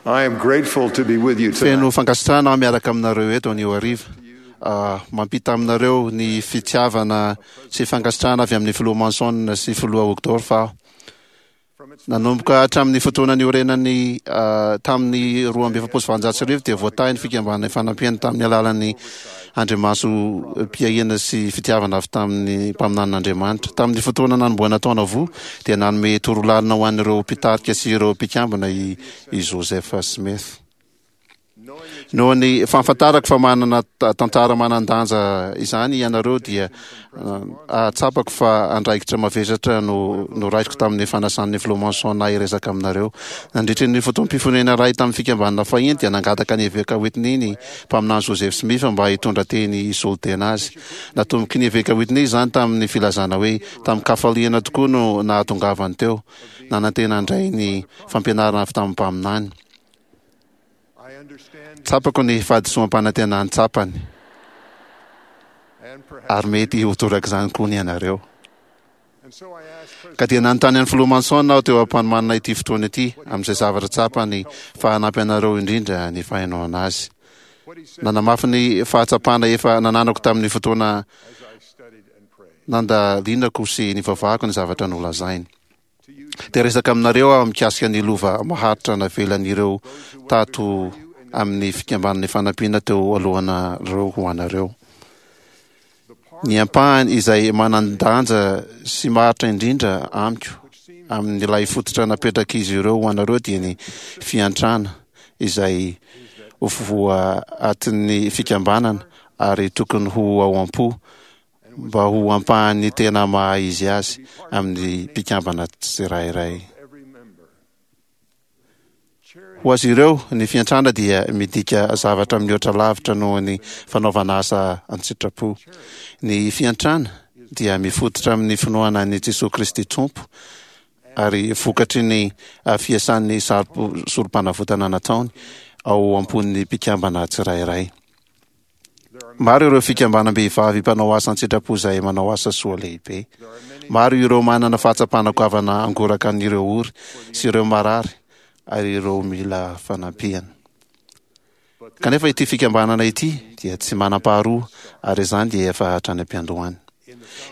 I am grateful to be with you tonight. Feno fankasitrahana aho miaraka aminareo eto anio hariva. Ah, mampita aminareo ny fitiavana sy fankasitrahana avy amin'ny Filoha Monson sy Filoha Uchtdorf aho. Nanomboka hatramin'ny fotoana niorenany tamin'ny 1842 dia voatahy ny Fikambanana Ifanampiana tamin'ny alalan'ny andrimasom-piahiana sy fitiavana avy tamin'ny mpaminanin'Andriamanitra. Tamin'ny fotoana nanombohana taona voa dia nanome torolalana ho an'ireo mpitarika sy ireo mpikambana i Joseph Smith. Noho ny fahafantarako fa manana tantara manan-danja izany ianareo dia ahatsapako fa andraikitra mavesatra no noraisiko tamin'ny fanasan'ny Filoha Monson ahy hiresaka aminareo. Nandritry ny fotoam-pifonena iray tamin'ny fikambanana fahiny dia nangataka ny Eveka Whitney ny Mpaminany Joseph Smith mba hitondra teny hisolo tena azy. Natomboky ny Eveka Whitney izany tamin'ny filazana hoe tamin-kafaliana tokoa no nahatongavany teo, nanantena handray ny fampianarana avy tamin'ny Mpaminany. Tsapako ny fahadisoam-panantenany tsapany, ary mety ho torak'izany koa ny anareo. Ka dia nanontany an'i Filoha Monson aho teo am-panomanana ity fotoana ity, amin'izay zavatra tsapany fa hanampy anareo indrindra ny fahenoana azy. Nanamafy ny fahatsapana efa nananako tamin'ny fotoana nandalinako sy nivavahako ny zavatra nolazainy. Te hiresaka aminareo aho mikasika ny lova maharitra navelan'ireo tato amin'ny Fikambanana Ifanampiana teo alohanareo ho anareo. Ny ampahany izay manan-danja sy maharitra indrindra amiko amin'ilay fototra napetrak'izy ireo ho anareo dia ny fiantrana izay ho voaatin'ny fikambanana ary tokony ho ao am-po mba ho ampahan'ny tena maha izy azy amin'ny mpikambana tsirairay. Ho azy ireo, ny fiantrana dia midika zavatra mihoatra lavitra noho ny fanaovana asa an-tsitrapo. Ny fiantrana dia mifototra amin'ny finoana an'i Jesoa Kristy Tompo ary vokatry ny fiasan'ny sorom-panavotana nataony ao am-pon'ny mpikambana tsirairay. Maro ireo fikambanam-behivavy mpanao asa an-tsitrapo izay manao asa soa lehibe. Maro ireo manana fahatsapana goavana hangoraka an'ireo ory sy ireo marary ary ireo mila fanampiana. Kanefa ity fikambanana ity dia tsy manam-paharoa ary izany dia efa hatrany am-piandohany.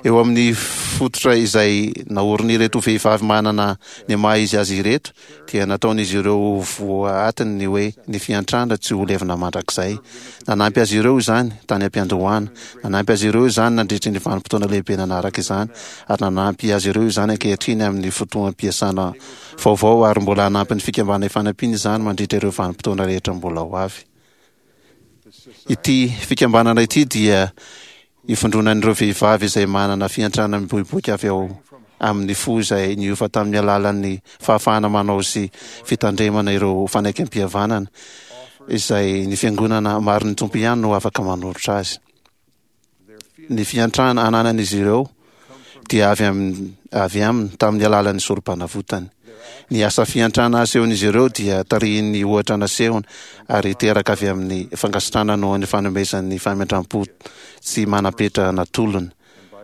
Eo amin'ny fototra izay naorin'ireto vehivavy manana ny maha izy azy ireto dia nataon'izy ireo ho voaatiny ny hoe ny fiantrana tsy ho levona mandrakizay. Nanampy azy ireo izany tany am-piandohana, nanampy azy ireo izany nandritry ny vanim-potoana lehibe nanaraka izany, ary nanampy azy ireo izany ankehitriny amin'ny fotoam-piasana vaovao ary mbola hanampy ny Fikambanana Ifanampiana izany mandritra ireo vanim-potoana rehetra mbola ho avy. Ity fikambanana ity dia ivondronan'ireo vehivavy izay manana fiantrana miboiboika avy ao amin'ny fo izay niova tamin'ny alalan'ny fahafahana manao sy fitandremana ireo fanekempihavanana izay ny Fiangonana marin'ny Tompo ihany no afaka manolotra azy. Ny fiantrana ananan'izy ireo dia avy amin'ny avy aminy tamin'ny alalan'ny sorom-panavotany. Ny asa fiantrana asehon'izy ireo dia tarihin'ny ohatra nasehony ary teraka avy amin'ny fankasitrahana noho ny fanomezan'ny famindram-po tsy manam-petra natolony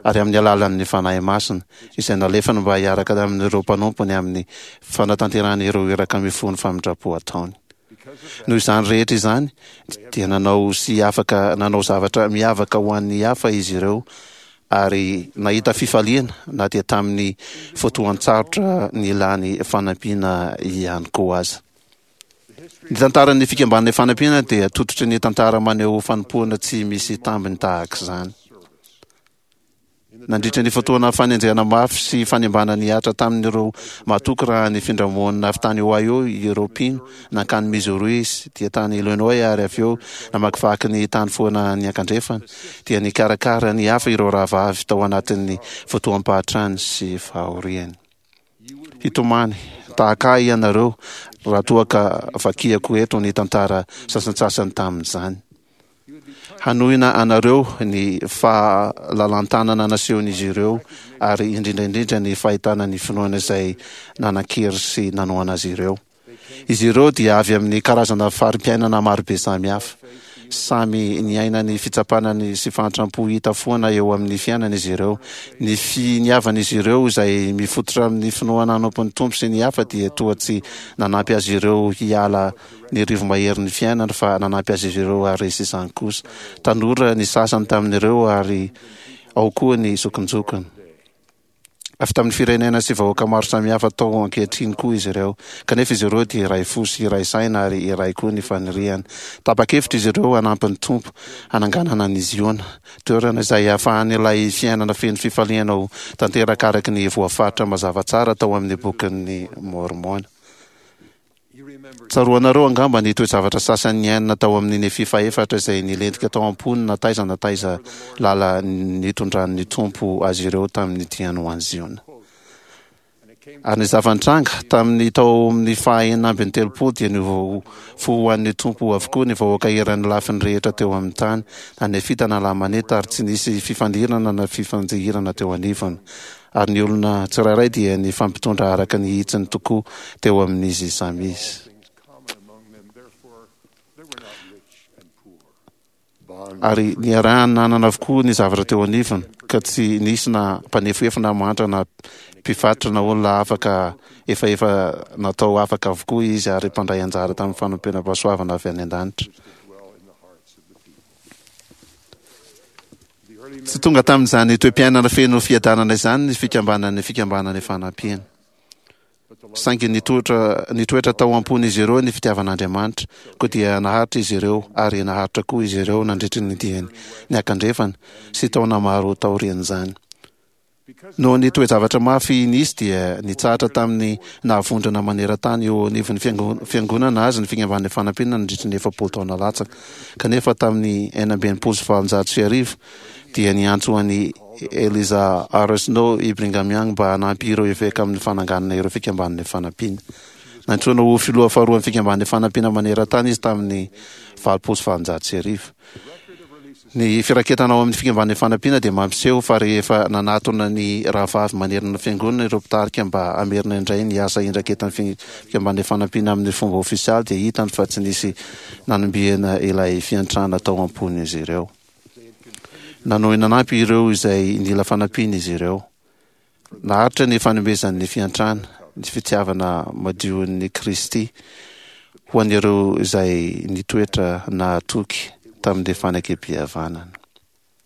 ary amin'ny alalan'ny Fanahy Masina izay nalefany mba hiaraka amin'ireo mpanompony amin'ny fanatanterahana ireo iraka mifono famindram-po ataony. Noho izany rehetra izany, dia nanao sy afaka nanao zavatra miavaka ho an'ny hafa izy ireo ary nahita fifaliana na dia tamin'ny fotoan-tsarotra nilany fanampiana ihany koa aza. Ny tantaran'ny Fikambanana Ifanampiana dia tototry ny tantara maneho fanompoana tsy misy tambiny tahaka izany. Nandritra ny fotoana fanenjehana mafy sy fanimbana nihatra tamin'ireo matoky raha nifindra monina avy tany Ohio ireo mpino nankany Missouri dia tany Illinois ary avy eo namakivaky ny tany foana niankandrefana, dia nikarakara ny hafa ireo rahavavy tao anatin'ny fotoam-pahatrany sy fahoriany. Hitomany tahaka ahy ianareo raha toa ka vakiako eto ny tantara sasantsasany tamin'izany. Hanohina anareo ny fahalalan-tanana nasehon'izy ireo ary indrindra indrindra ny fahitana ny finoana izay nanan-kery sy nanohana azy ireo. Izy ireo dia avy amin'ny karazana fari-piainana marobe samihafa. Samy niaina ny fitsapana ny sy fahantram-po hita foana eo amin'ny fiainana izy ireo. Ny finiavan'izy ireo izay mifototra amin'ny finoana hanompo ny Tompo sy ny hafa dia toa tsy nanampy azy ireo hiala ny rivo-maherin'ny fiainana fa nanampy azy ireo haharesy izany kosa. Tanora ny sasany tamin'ireo ary ao koa ny zokinjokiny. Avy tamin'ny firenena sy vahoaka maro samihafa tao ankehitriny koa izy ireo. Kanefa izy ireo dia iray fo sy iray saina ary iray koa ny faniriany. Tapa-kevitra izy ireo hanampy ny Tompo hananganana an'i Ziona, toerana izay hahafahan'ilay fiainana feno fifaliana ho tanteraka araka ny voafaritra mazava tsara tao amin'ny Bokin'i Môrmôna. Tsaroanareo angamba ny toe-javatra sasany niainana tao amin'ny Nefia fahefatra izay nilentika tao am-pony na taiza na taiza lala nitondran'ny Tompo azy ireo tamin'ny diany ho any Ziona. Ary ny zava-nitranga, tamin'ny tao amin'ny faha 36 dia niova fo ho an'ny Tompo avokoa ny vahoaka eran'ny lafiny rehetra teo amin'ny tany, na Nefita na Lamanita, ary tsy nisy fifandirana na fifanjihirana teo anivony. Ary ny olona tsirairay dia nifampitondra araka ny hitsiny tokoa teo amin'izy samy izy. Ary niarahany nanana avokoa ny zavatra teo anivony, ka tsy nisy na mpanefoefo na mahantra na mpivarotra na olona afaka efa efa natao afaka avokoa izy ary mpandray anjara tamin'ny fanompenam-pahasoavana avy any an-danitra. Tsy tonga tamin'izany toe-piainana feno fiadanana izany ny fikambanan'ny Fikambanana Ifanampiana. Saingy nitoetra, nitoetra tao am-pon'izy ireo ny fitiavan'Andriamanitra, koa dia naharitra izy ireo, ary naharitra koa izy ireo nandritry ny diany niakandrefana sy taona maro taorian'izany. Noho ny toe-javatra mafy nisy dia nitsahatra tamin'ny naha-vondrona maneran-tany eo anivon'ny Fiangonana azy ny Fikambanan'ny Fanampiana nandritry ny 40 taona latsaka. Kanefa tamin'ny 1866 dia niantso an'i Eliza R. Snow i Brigham Young mba hanampy ireo eveka amin'ny fananganana ireo Fikambanan'ny Fanampiana. Nantsoina ho filoha faharoan'ny Fikambanan'ny Fanampiana maneran-tany izy tamin'ny 1880. Ny firaketana ao amin'ny Fikambanan'ny Fanampiana dia mampiseho fa rehefa nanatona ny rahavavy manerana ny Fiangonana ireo mpitarika mba hamerina indray ny asa indraketan'ny Fikambanan'ny Fanampiana amin'ny fomba ofisialy dia hitany fa tsy nisy nanombiana ilay fiantrana tao am-pon'izy ireo. Nanohy nanampy ireo izay nila fanampiana izy ireo. Naharitra ny fanomezan'ny fiantrana, ny fitiavana madion'i Kristy ho an'ireo izay nitoetra nahatoky tamin'ny fanekempihavanana.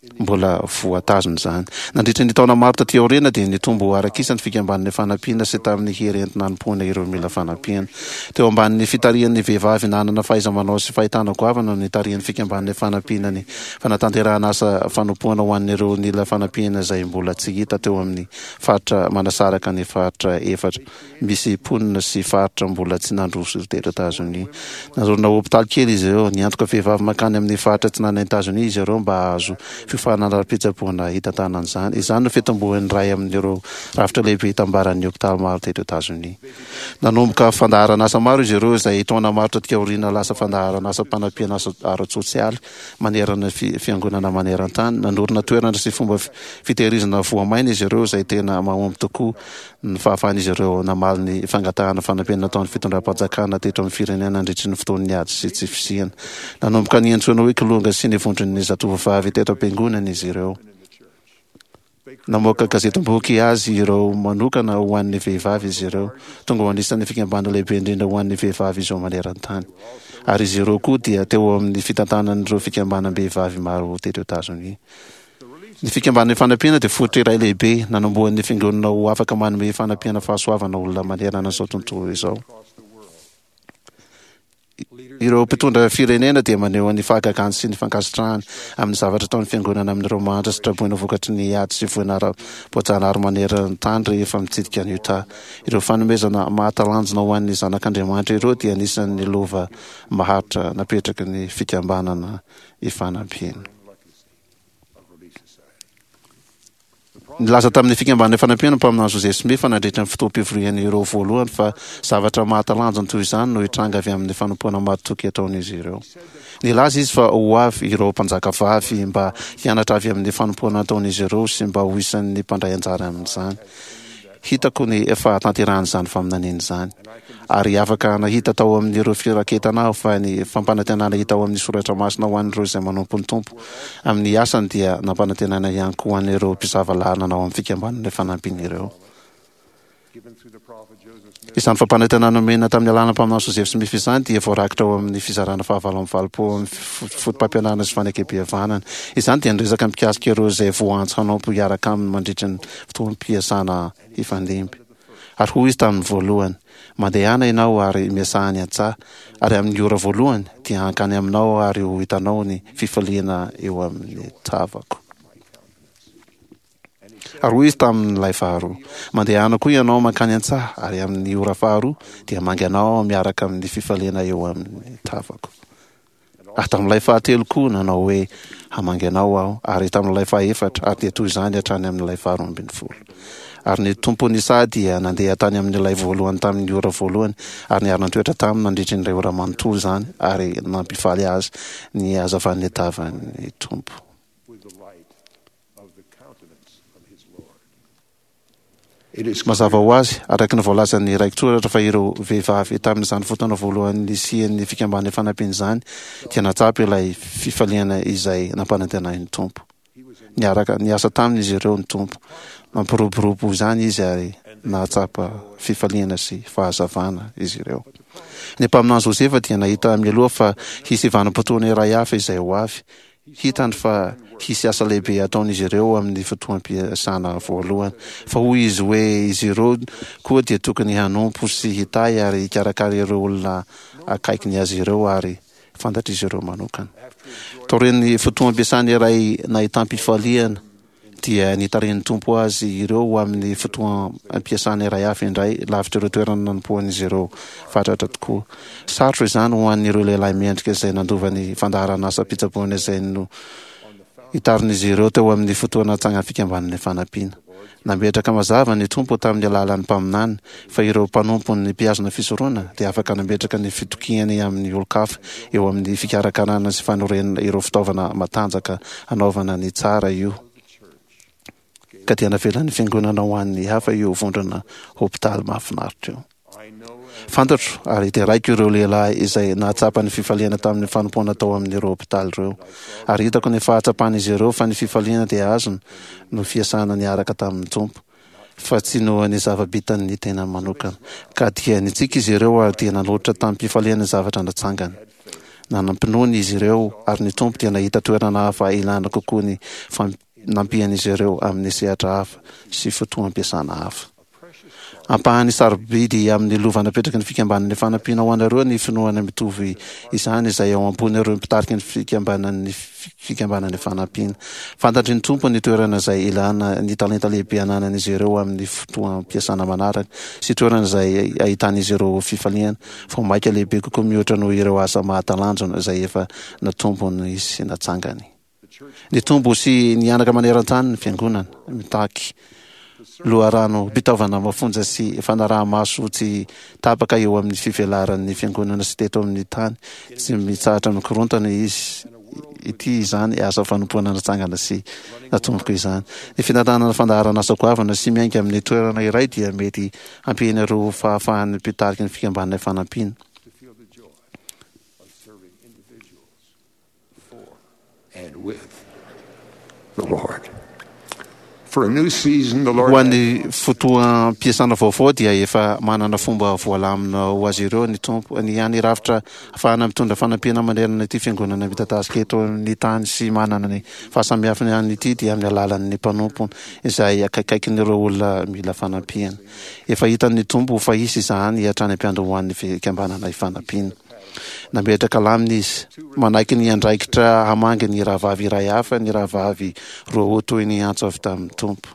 Mbola voatazona izany. Nandritra ny taona maro taty aoriana dia nitombo araka isa ny fikambanan'ny fanampiana sy tamin'ny hery entina hanompoana ireo mila fanampiana. Teo ambanin'ny fitarihan'ny vehivavy nanana fahaiza-manao sy fahitana goavana no nitarihan'ny fikambanan'ny fanampiana ny fanatanterahana asa fanompoana ho an'ireo nila fanampiana izay mbola tsy hita teo amin'ny faritra manasaraka ny faritra efatra misy mponina sy faritra mbola tsy nandroso teto Etazonia. Nanorina hopitaly kely izy ireo. Niantoka vehivavy mankany amin'ny faritra atsinanan'i Etazonia izy ireo mba hahazo fiofanana ara-pitsaboana hitantanana izany. Izany no fitomboan'ny iray amin'ireo rafitra lehibe itambaran'ny hopitaly maro teto Etazonia. Nanomboka fandaharan'asa maro izy ireo izay taona maro taty aoriana lasa fandaharan'asam-panampiana ara-tsosialy manerana ny fiangonana maneran-tany. Nanorina toerana sy fomba fitehirizana voamaina izy ireo izay tena mahomby tokoa ny fahafahan'izy ireo namaly ny fangatahana fanampiana nataon'ny fitondram-panjakana teto amin'ny firenena nandritry ny fotoan'ny ady sy tsy fisiana. Nanomboka niantsoana hoe Kilonga sy ny vondron'ny zatovovavy teto am-piangonana izy ireo. Namoaka gazetim-boky azy ireo manokana ho an'ny vehivavy izy ireo. Tonga ho anisan'ny fikambanana lehibe indrindra ho an'ny vehivavy izao maneran-tany. Ary izy ireo koa dia teo amin'ny fitantanan'ireo fikambanam-behivavy maro teto Etazonia. Ny Fikambanana Ifanampiana dia fototra iray lehibe nanombohan'ny Fiangonana ho afaka manome fanampiana fahasoavana olona manerana an'izao tontolo izao. Ireo mpitondra firenena dia maneho ny fahagagany sy ny fankasitrahany amin'ny zavatra ataon'ny Fiangonana amin'ireo mahantra sy traboina vokatry ny ady sy voina ara-boajanahary maneran-tany rehefa mitsidika an'i Utah. Ireo fanomezana mahatalanjona ho an'ny zanak'Andriamanitra ireo dia anisan'ny lova maharitra napetraky ny Fikambanana Ifanampiana. Nilaza tamin'ny Fikambanana Ifanampiana ny mpaminany Joseph Smith fa nandritra ny fotoam-pivorian'ireo voalohany fa zavatra mahatalanjona toy izany no hitranga avy amin'ny fanompoana mahatoky ataon'izy ireo. Nilaza izy fa ho avy ireo mpanjakavavy mba hianatra avy amin'ny fanompoana ataon'izy ireo sy mba ho isan'ny mpandray anjara amin'izany. Hitako ny fahatanterahan'izany faminaniana izany. Ary afaka nahita tao amin'ireo firaketana aho fa ny fampanantenana hita ao amin'ny soratra masina ho an'ireo izay manompo ny Tompo amin'ny asany dia nampanantenaina ihany koa ho an'ireo mpisava lalana ao amin'ny Fikambanana Ifanampiana ireo. Izany fampanantenana nomena tamin'ny alalan'ny mpaminany Joseph Smith izany dia voarakitra ao amin'ny fizarana fahavalo amby valopolo amin'ny Fotopampianarana sy Fanekempihavanana. Izany dia niresaka mikasika ireo izay voaantso hanompo hiaraka aminy mandritra ny fotoam-piasana hifandimby. Ary hoy izy tamin'ny voalohany, Mandehana ianao ary miasà any an-tsaha, ary amin'ny ora voalohany dia hankany aminao ary ho hitanao ny fifaliana eo amin'ny tavako. Ary hoy izy tamin'ilay faharoa, Mandehana koa ianao mankany an-tsaha, ary amin'ny ora faharoa dia hamangy anao aho miaraka amin'ny fifaliana eo amin'ny tavako. Ary tamin'ilay fahatelo koa nanao hoe, Hamangy anao aho, ary tamin'ilay fahefatra, ary dia toy izany hatrany amin'ilay faharoa ambin'ny folo. Ary ny tompon'ny saha dia nandeha tany amin'ilay voalohany tamin'ny ora voalohany, ary niara-nitoetra taminy nandritry ny iray ora manontolo izany, ary nampifaly azy ny hazavan'ny tavan'ny Tompo. Mazava ho azy, araka ny voalazan'ny raiki-tsoratra fa ireo vehivavy tamin'izany fotoana voalohany nisian'ny Fikambanana Ifanampiana izany dia nahatsapa ilay fifaliana izay nampanantenain'ny Tompo. Niaraka niasa taminy izy ireo ny Tompo. Nampiroborobo izany Izy ary nahatsapa fifaliana sy fahazavana izy ireo. Ny mpaminany Josefa dia nahita mialoha fa hisy vanim-potoana iray hafa izay ho avy, Hitany fa hisy asa lehibe hataon'izy ireo amin'ny fotoam-piasana voalohany. Fa hoy izy hoe izy ireo koa dia tokony hanompo sy hitahy ary hikarakara ireo olona akaikiny azy ireo ary fantatr'izy ireo manokana. Taorian'ny fotoam-piasana iray nahitam-pifaliana, dia nitarihin'ny Tompo azy ireo ho amin'ny fotoam-piasana iray hafa indray, lavitra ireo toerana nanompoan'izy ireo fatratra tokoa. Sarotra izany ho an'ireo lehilahy mendrika izay nandova ny fandaharan'asam-pitsaboana izay nohitarin'izy ireo teo amin'ny fotoana tsangan'ny Fikambanana Ifanampiana. Nametraka mazava ny Tompo tamin'ny alalan'ny mpaminany fa ireo mpanompony mpihazona fisoronana dia afaka nametraka ny fitokiany amin'ny olon-kafa eo amin'ny fikarakarana sy fanorenana ireo fitaovana matanjaka hanaovana ny tsara io ka dia navelan'ny Fiangonana ho an'ny hafa io vondrona hopitaly mahafinaritra io. Fantatro ary deraiko ireo lehilahy izay nahatsapa ny fifaliana tamin'ny fanompoana tao amin'ireo hopitaly ireo. Ary hitako ny fahatsapan'izy ireo fa ny fifaliana dia azony noho fiasana niaraka tamin'ny Tompo, fa tsy noho ny zava-bitan'ny tenany manokana. Ka dia nitsiky izy ireo ary dia nanolotra tamim-pifaliana ny zavatra natsangany. Nanam-pinoana izy ireo ary ny Tompo dia nahita toerana hafa ilana kokoa ny fanampian'izy ireo amin'ny sehatra hafa sy fotoam-piasana hafa. Ampahany sarobidy amin'ny lova napetraky ny Fikambanan'ny Fanampiana ho anareo ny finoana mitovy izany izay ao am-pon'ireo mpitarika ny Fikambanan'ny Fikambanan'ny Fanampiana. Fantatry ny Tompo ny toerana izay ilana ny talenta lehibe ananan'izy ireo amin'ny fotoam-piasana manaraka sy toerana izay ahitan'izy ireo fifaliana vao mainka lehibe kokoa mihoatra noho ireo asa mahatalanjona izay efa natombony sy natsangany. Nitombo sy nihanaka maneran-tany ny Fiangonana. Mitaky loharanom-pitaovana mafonja sy fanaraha-maso tsy tapaka eo amin'ny fivelaran'ny Fiangonana sy teto amin'ny tany tsy mitsahatra mikorontana izy ity izany asa fanompoana natsangana sy natomboka izany. Ny fitantanana fandaharan'asa goavana sy miainga amin'ny toerana iray dia mety hampihena ireo fahafahan'ny mpitarika ny Fikambanana Ifanampiana. Ho an'ny fotoam-piasana vaovao dia efa manana fomba voalamina ho azy ireo ny Tompo. Ny hany rafitra ahafahana mitondra fanampiana manerana ity fiangonana midadasika eto amin'ny tany sy manana ny fahasamihafany ihany ity dia amin'ny alalan'ny mpanompony izay akaikaikin'ireo olona mila fanampiana. Efa hitan'ny Tompo fa hisy izany hatrany am-piandohan'ny fikambanana Ifanampiana. Nametraka lamina izy. Manaiky ny andraikitra hamangy ny rahavavy iray hafa ny rahavavy Roa toy ny antso avy tamin'ny Tompo.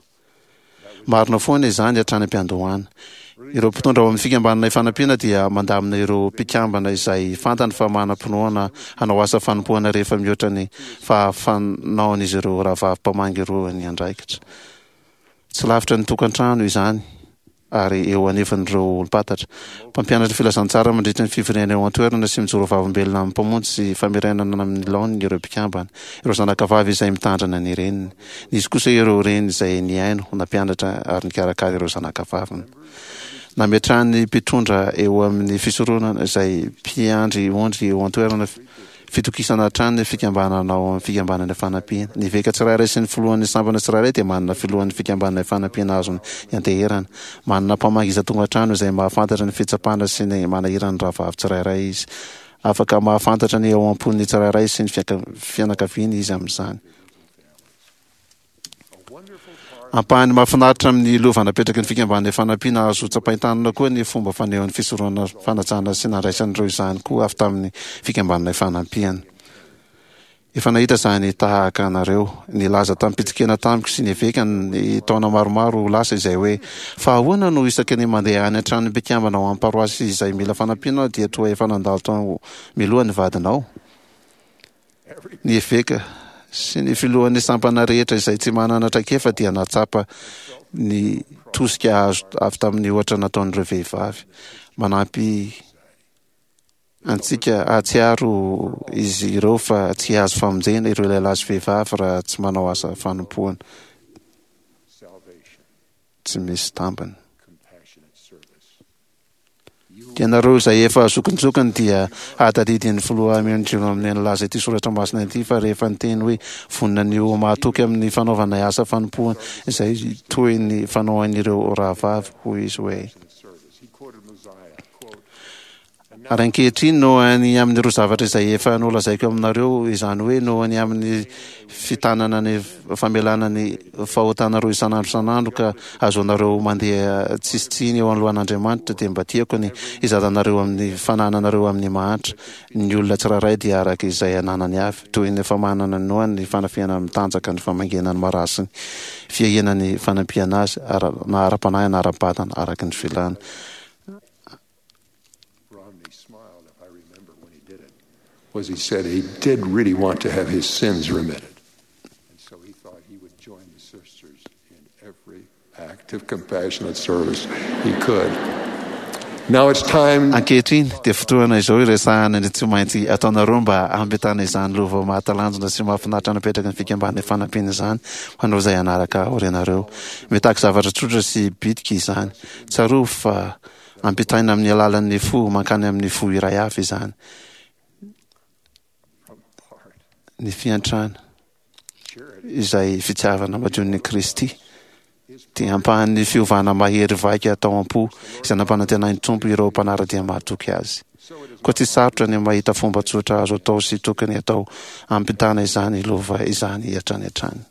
Marina foana izany hatrany am-piandohana. Ireo mpitondra ao amin'ny Fikambanana Ifanampiana dia mandamina ireo mpikambana izay fantany fa manam-pinoana hanao asa fanompoana rehefa mihoatra ny fahafanaon'izy ireo rahavavy mpamangy roa ny andraikitra. Tsy lavitra ny tokantrano izany. ary eo anivon'ireo olom-pantatra. Mpampianatra filazantsara mandritra ny fivoriana eo an-toerana sy mijoro vavolombelona amin'ny Mpamonjy sy famerenana amin'ny laoniny ireo mpikambana, ireo zanakavavy izay mitandrina ny reniny. Nisy kosa ireo reny izay nihaino, nampianatra ary nikarakara ireo zanakavaviny. Nametrahan'ny mpitondra eo amin'ny fisoronana izay mpiandry ondry eo an-toerana Fitokisana hatrany ny fikambanana ao amin'ny Fikambanana Ifanampiana. Ny eveka tsirairay sy ny filohan'ny sampana tsirairay dia manana filohan'ny Fikambanana Ifanampiana azony ianteherana. Manana mpamangy isan-tokantrano izay mahafantatra ny fitsapana sy ny manahirana ny rahavavy tsirairay izy. Afaka mahafantatra ny ao am-pon'ny tsirairay sy ny fianakaviany izy amin'izany. Ampahany mahafinaritra amin'ny lova napetraky ny Fikambanana Ifanampiana azo tsapain-tanana koa ny fomba fanehoan'ny fisoronana fanajana sy nandraisan'ireo izany koa avy tamin'ny Fikambanana Ifanampiana. Efa nahita izany tahaka anareo. Nilaza tamim-pitsikiana tamiko sy ny eveka ny taona maromaro lasa izay hoe, Fa ahoana no isaky ny mandeha any an-tranon'ny mpikambana ao amin'ny paroasy izay mila fanampiana aho dia toa efa nandalo tao mialoha ny vadinao? Ny eveka sy ny filohan'ny sampana rehetra izay tsy manana traikefa dia nahatsapa ny tosika azo avy tamin'ny ohatra nataon'ireo vehivavy. Manampy antsika hahatsiaro izy ireo fa tsy hahazo famonjena ireo lehilahy sy vehivavy raha tsy manao asa fanompoana tsy misy tambiny. Ianareo izay efa zokinjokiny dia hahatadidy ny Filoha Amendriana nilaza ity soratra masina ity fa rehefa niteny hoe vonona ny ho mahatoky amin'ny fanaovana asa fanompoana izay toy ny fanaon'ireo rahavavy, hoy izy hoe. Ary ankehitriny, noho ny amin'ireo zavatra izay efa nolazaiko aminareo, izany hoe noho ny amin'ny fitanana ny famelana ny fahotanareo isan'andro isan'andro ka ahazoanareo mandeha tsisy tsiny eo anoloan'Andriamanitra, dia mba tiako ny hizaranareo amin'ny fanananareo amin'ny mahantra. Ny olona tsirairay dia araka izay ananany avy, toy ny famanana ny noany, ny fanafihana mitanjaka, ny famangiana ny marary sy ny fiahiana ny fanampiana azy, na ara-panahy na ara-batana, araka ny filany. Romney smiled, if I remember when he did it, was he said he did really want to have his sins remitted. And so he thought he would join the sisters in every act of compassionate service he could. Now it's time. Ankehitriny dia fotoana izao hiresahana ny tsy maintsy ataonareo mba hampitana izany lova mahatalanjona sy mahafinaritra napetraky ny Fikambanana Ifanampiana izany ho anareo izay hanaraka aorianareo. Mitaky zavatra tsotra sy bitika izany. Tsarovy fa Ampitaina amin'ny alalan'ny fo mankany amin'ny fo iray hafa izany. Ny fiantrana, izay fitiavana madion'i Kristy, dia ampahan'ny fiovana mahery vaika tao am-po izay nampanantenain'ny Tompo ireo mpanara-dia mahatoky Azy. Koa tsy sarotra ny mahita fomba tsotra azo atao sy tokony atao hampitana izany lova izany hatrany hatrany.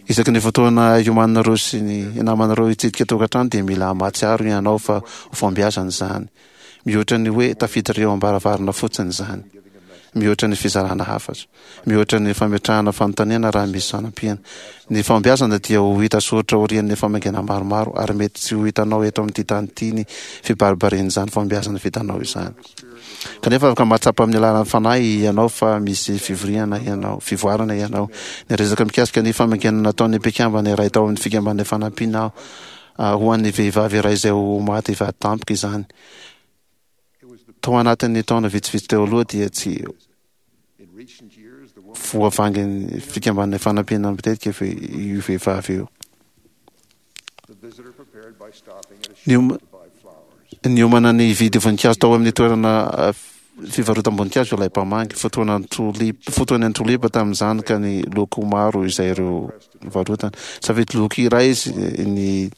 Isaky ny fotoana iomananareo sy ny namanareo hitsidika tokantrano dia mila mahatsiaro ianao fa ho fahombiazana izany. Mihoatra ny hoe tafiditra eo am-baravarana fotsiny izany. Mihoatra ny fizarana hafatra. Mihoatra ny fametrahana fanontaniana raha misy fanampiana. Ny fahombiazana dia ho hita soritra aorian'ny famangiana maromaro ary mety tsy ho hitanao eto amin'ity tany ity ny fibaribarian'izany fahombiazana vitanao izany. Kanefa afaka mahatsapa amin'ny alalan'ny Fanahy ianao fa misy fivoriana ianao, fivoarana ianao. Niresaka mikasika ny famangiana nataon'ny mpikambana iray tao amin'ny Fikambanana Ifanampiana aho ho an'ny vehivavy iray izay ho maty vady tampoka izany. Tao anatin'ny taona vitsivitsy teo aloha dia tsy voavangin'ny Fikambanana Ifanampiana matetika io vehivavy io. Niomana ny hividy voninkazo tao amin'ny toerana fivarotam-boninkazo ilay mpamangy. Fotoanan'ny tolipa, fotoanan'ny tolipa tamin'izany ka ny loko maro izay ireo nivarotana. Safidy loko iray izy ny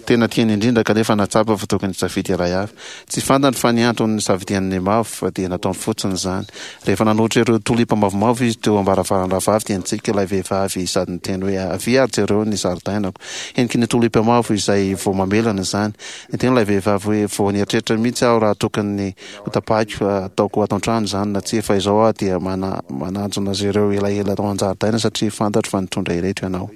tena tiany indrindra kanefa nahatsapa fa tokony hisafidy iray hafa. Tsy fantany fa ny antony nisafidiany ny mavo fa dia nataony fotsiny izany. Rehefa nanolotra ireo tolipa mavomavo izy teo am-baravaran'ny rahavavy dia nitsiky ilay vehivavy sady niteny hoe, Avia ary jereo ny zaridainako. Heniky ny tolipa mavo izay vao mamelana izany. Niteny ilay vehivavy hoe, Vao nieritreritra mihitsy aho raha tokony hotapahiko hataoko ato an-trano izany na tsia fa izao aho dia mananjona azy ireo elaela tao an-jaridaina satria fantatro fa nitondra ireto ianao.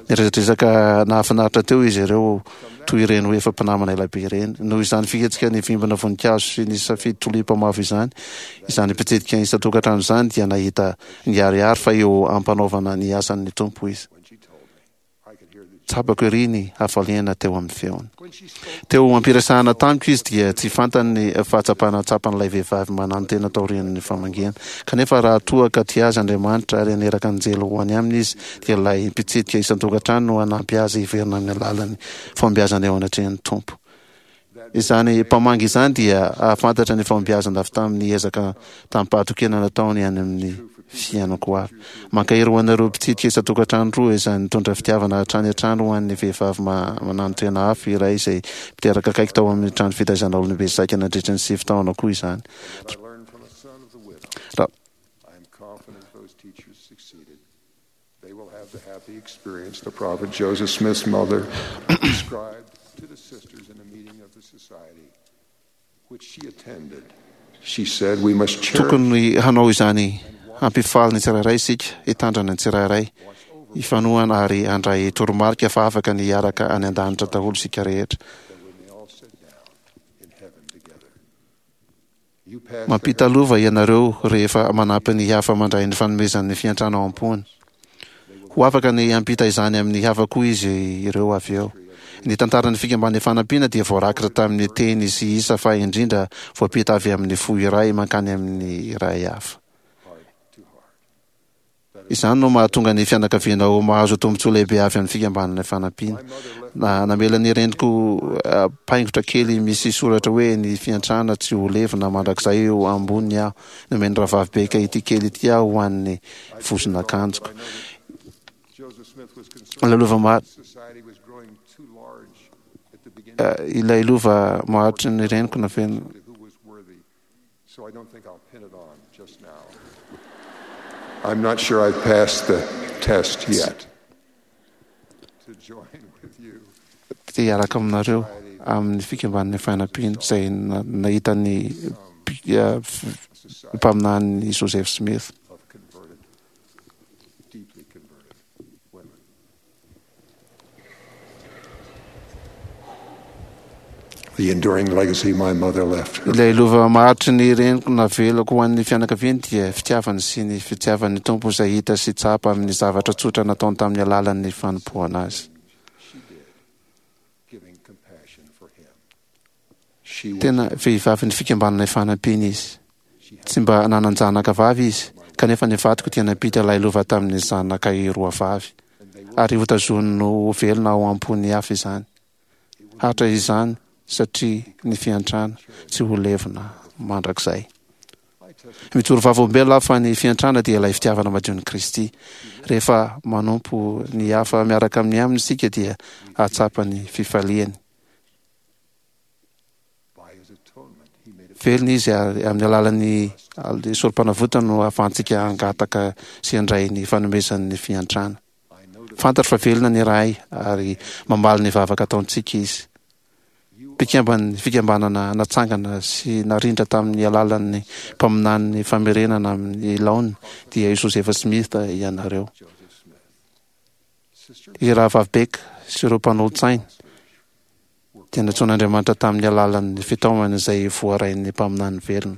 Niresadresaka nahafinaritra teo izy ireo toy ireny hoe efa mpinamana ela be ireny. Noho izany fihetsika nivimbina voninkazo sy nisafidy tolipa mavo izany, izany mpitsidika isan-tokantrano izany dia nahita niharihary fa eo am-panaovana ny asan'ny Tompo izy. Tsapako ery ny hafaliana teo amin'ny feony. Teo am-piresahana tamiko izy dia tsy fantany ny fahatsapana tsapan'ilay vehivavy mananotena taorian'ny famangiana. Kanefa raha toa ka tia azy Andriamanitra ary haniraka anjely ho any aminy izy dia ilay mpitsidika isan-tokantrano no hanampy azy hiverina amin'ny alalan'ny fahombiazana eo anatrehan'ny Tompo. Izany mpamangy izany dia hahafantatra ny fahombiazana avy tamin'ny ezaka tamim-pahatokiana nataony any amin'ny fiainako avy. Mankahery ho anareo mpitsidika isan-tokantrano roa izany nitondra fitiavana hatrany hatrany ho an'ny vehivavy mananotena hafa iray izay mpiteraka akaiky tao amin'ny trano fitaizana olombe saika nandritra ny sivy taona koa izany. Raha. They will have the happy experience the prophet Joseph Smith's mother described to the sisters in a meeting of the society which she attended. She said we must cherish Tokony hanao izany hampifaly ny tsirairay isika, hitandrana ny tsirairay, hifanohana ary handray toromarika fa afaka ny hiaraka any an-danitra daholo isika rehetra. that we may all sit down in heaven together. You pass the Mampita lova ianareo rehefa manampy ny hafa mandray ny fanomezan'ny fiantrana ao am-pony. Ho afaka ny hampita izany amin'ny hafa koa izy ireo avy eo. Ny tantaran'ny Fikambanan'ny Fanampiana dia voarakitra tamin'ny teny sy isa fa indrindra voampita avy amin'ny fo iray mankany amin'ny iray hafa. heart to heart. Izany no mahatonga ny fianakaviana ho mahazo tombontsoa lehibe avy amin'ny Fikambanana Ifanampiana. Na, namela ny reniko paingotra kely misy soratra hoe Ny fiantrana tsy ho levona mandrakizay eo amboniny aho. Nomen'ny Rahavavy Baker ity kely ity aho ho an'ny vozon'akanjoko. Ilay lova maha, ilay lova maharitry ny reniko nafenina. So I don't think I'll pin it on just now. I'm not sure I've passed the test yet. To join with you. Te hiaraka aminareo amin'ny fikambanan'ny fanampiana izay nahita ny mpaminany Joseph Smith. Of converted, deeply converted women. The enduring legacy my mother left her. Ilay lova maharitry ny reniko navelako ho an'ny fianakaviany dia fitiavany sy ny fitiavan'ny Tompo izay hita sy tsapa amin'ny zavatra tsotra nataony tamin'ny alalan'ny fanompoana azy. She did, giving compassion for him. She was Tena vehivavin'ny fikambanana Ifanampiana izy. Tsy mba nanan-janaka vavy izy, kanefa ny vadiko dia nampita ilay lova tamin'ny zanakay roa vavy, ary hotazoniny ho velona ao am-pon'ny hafa izany. Hatra izany satria ny fiantrana tsy ho levona mandrakizay. Mijoro vavolombelona aho fa ny fiantrana dia ilay fitiavana madion'i Kristy. Rehefa manompo ny hafa miaraka amin'ny aminy isika dia hahatsapa ny fifaliany. Velona izy ary amin'ny alalan'ny sorom-panavotany no ahafahantsika hangataka sy handray ny fanomezan'ny fiantrana. Fantatro fa velona ny Ray ary mamaly ny vavaka ataontsika Izy. Mpikamban'ny fikambanana natsangana sy narindra tamin'ny alalan'ny mpaminanin'ny famerenana amin'ny laoniny dia i Joseph Smith ianareo. I Rahavavy Beck sy ireo mpanolotsainy dia nantsoin'Andriamanitra tamin'ny alalan'ny fitaomana izay voarain'ny mpaminany velona.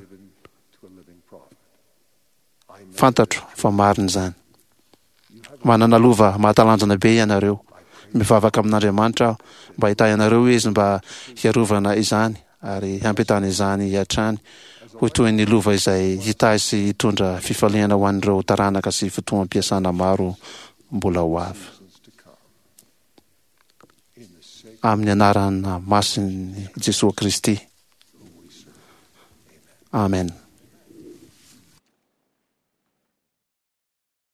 Fantatro fa marina izany. Manana lova mahatalanjona be ianareo. Mivavaka amin'Andriamanitra aho mba hitahy anareo Izy mba hiarovana izany ary hampitana izany hatrany ho toy ny lova izay hitahy sy hitondra fifaliana ho an'ireo taranaka sy fotoam-piasana maro mbola ho avy. Amin'ny anarana masin'i Jesoa Kristy. Amen.